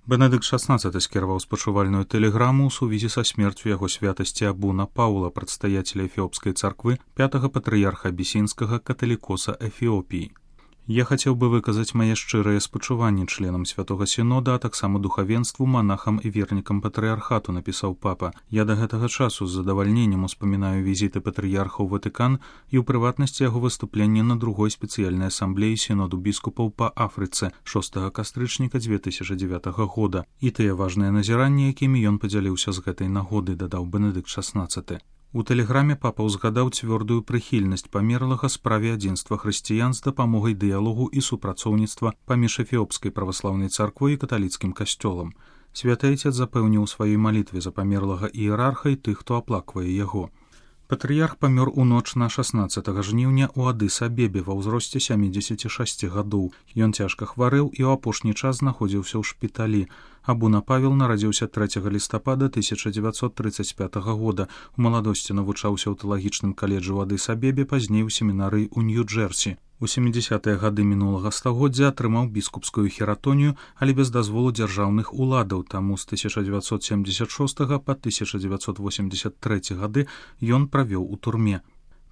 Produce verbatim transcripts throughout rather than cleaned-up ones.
Бенедыкт шестнадцатый скіраваў спачувальную тэлеграму ў сувязі са смерцю яго святасці Абуна Паўла, прадстаяцеля эфіопскай царквы, пятага патрыярха абісінскага каталікоса Эфіопіі. Я хацеў бы выказаць мае шчырыя спачуванні членам святога сінода, а таксама духавенству, манахам і вернікам патрыярхату, напісаў папа. Я да гэтага часу з задавальненнем успамінаю візіты патрыярха ў Ватыкан і ў прыватнасці яго выступленне на другой спецыяльнай асамблеі сіноду біскупаў па Афрыцы шостага кастрычніка дзве тысячы дзевятага года і тыя важныя назіранні, якімі ён падзяліўся з гэтай нагоды, дадаў Бенедыкт шестнадцатый. У тэлеграме папа ўзгадаў цвёрдую прыхільнасць памерлага справе адзінства хрысціян з дапамогай дыялогу і супрацоўніцтва паміж эфіопскай праваслаўнай царквой і каталіцкім касцёлам. Святы Айцец запэўніў у сваёй малітве за памерлага іерарха і тых, хто аплаквае яго. Патрыярх памёр у ноч на шаснаццатага жніўня ў Адыс-Абебе ва ўзросце сямідзесяці шасці гадоў. Ён цяжка хварэў і ў апошні час знаходзіўся ў шпіталі. Абуна Павел нарадзіўся трэцяга лістапада тысяча дзевяцьсот трыццаць пятага года. У маладосці навучаўся ў тэалагічным каледжы ў Адыс-Абебе, пазней у семінарыі ў Нью-Джэрсі. У сямідзесятыя гады мінулага стагоддзя атрымаў біскупскую хератонію, але без дазволу дзяржаўных уладаў, таму з тысяча дзевяцьсот семдзесят шостага па тысяча дзевяцьсот восемьдесят трэці гады ён правёў у турме.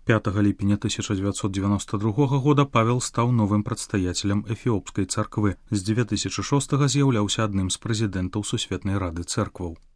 пятага ліпеня тысяча дзевяцьсот дзевяноста другога года Павел стаў новым прадстаяцелем эфіопскай царквы. З дзве тысячы шостага з'яўляўся адным з прэзідэнтаў Сусветнай рады цэркваў.